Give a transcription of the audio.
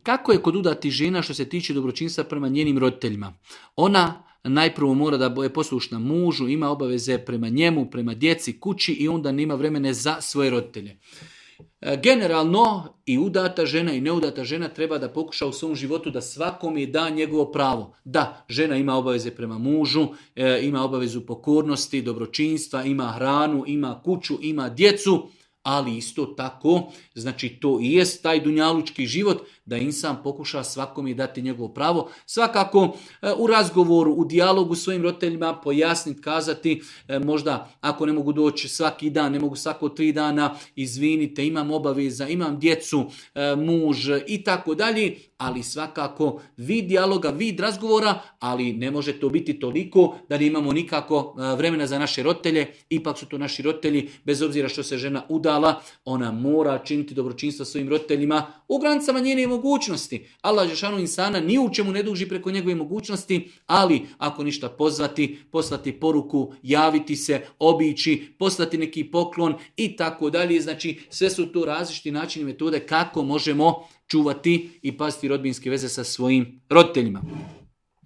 Kako je kod udatih žena što se tiče dobročinstva prema njenim roditeljima? Ona najprvo mora da je poslušna mužu, ima obaveze prema njemu, prema djeci, kući i onda nema vremena za svoje roditelje. Generalno i udata žena i neudata žena treba da pokuša u svom životu da svakome da njegovo pravo. Da, žena ima obaveze prema mužu, ima obavezu pokornosti, dobročinstva, ima hranu, ima kuću, ima djecu, ali isto tako, znači to i jest taj dunjalučki život da insan pokuša svakome dati njegovo pravo. Svakako u razgovoru, u dijalogu s svojim roditeljima pojasniti, kazati, možda ako ne mogu doći svaki dan, ne mogu svako 3 dana, izvinite, imam obaveza, imam djecu, muž i tako dalje, ali svakako vid dijaloga, vid razgovora, ali ne može to biti toliko da ne imamo nikako vremena za naše roditelje, ipak su to naši roditelji, bez obzira što se žena udala, ona mora činiti dobročinstvo svojim roditeljima u granicama njene mogućnosti. Allah dželešanu insana ni u čemu ne duži preko njegove mogućnosti, ali ako ništa pozvati, poslati poruku, javiti se, obići, poslati neki poklon i tako dalje. Znači sve su to različiti načini, metode kako možemo čuvati i paziti rodbinske veze sa svojim roditeljima.